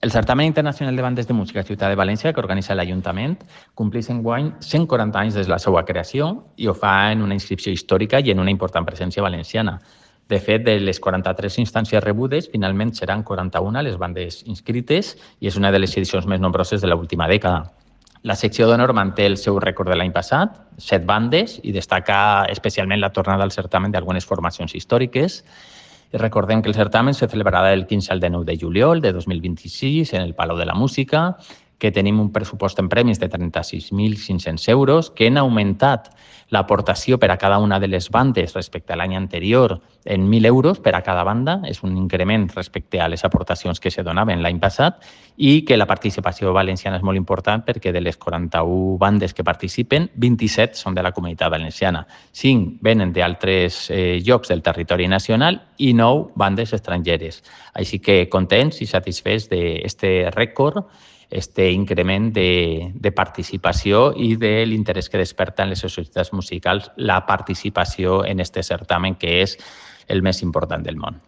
El Certamen Internacional de Bandes de Música Ciutat de València, que organitza l'Ajuntament, compleix enguany 140 anys des de la seva creació i ho fa en una inscripció històrica i en una important presència valenciana. De fet, de les 43 instàncies rebudes, finalment seran 41 les bandes inscrites i és una de les edicions més nombroses de l'última dècada. La secció d'honor manté el seu rècord de l'any passat, 7 bandes, i destaca especialment la tornada al certamen d'algunes formacions històriques. I recordem que el certamen se celebrarà del 15 al 19 de juliol de 2026 en el Palau de la Música, que tenim un pressupost en premis de 36.500 euros, que han augmentat l'aportació per a cada una de les bandes respecte a l'any anterior en 1.000 euros per a cada banda. És un increment respecte a les aportacions que se donaven l'any passat i que la participació valenciana és molt important perquè de les 41 bandes que participen, 27 són de la Comunitat Valenciana, 5 venen d'altres llocs del territori nacional i 9 bandes estrangeres. Així que contents i satisfets d'aquest rècord, increment de participació i de l'interès que desperta en les societats musicals la participació en aquest certamen, que és el més important del món.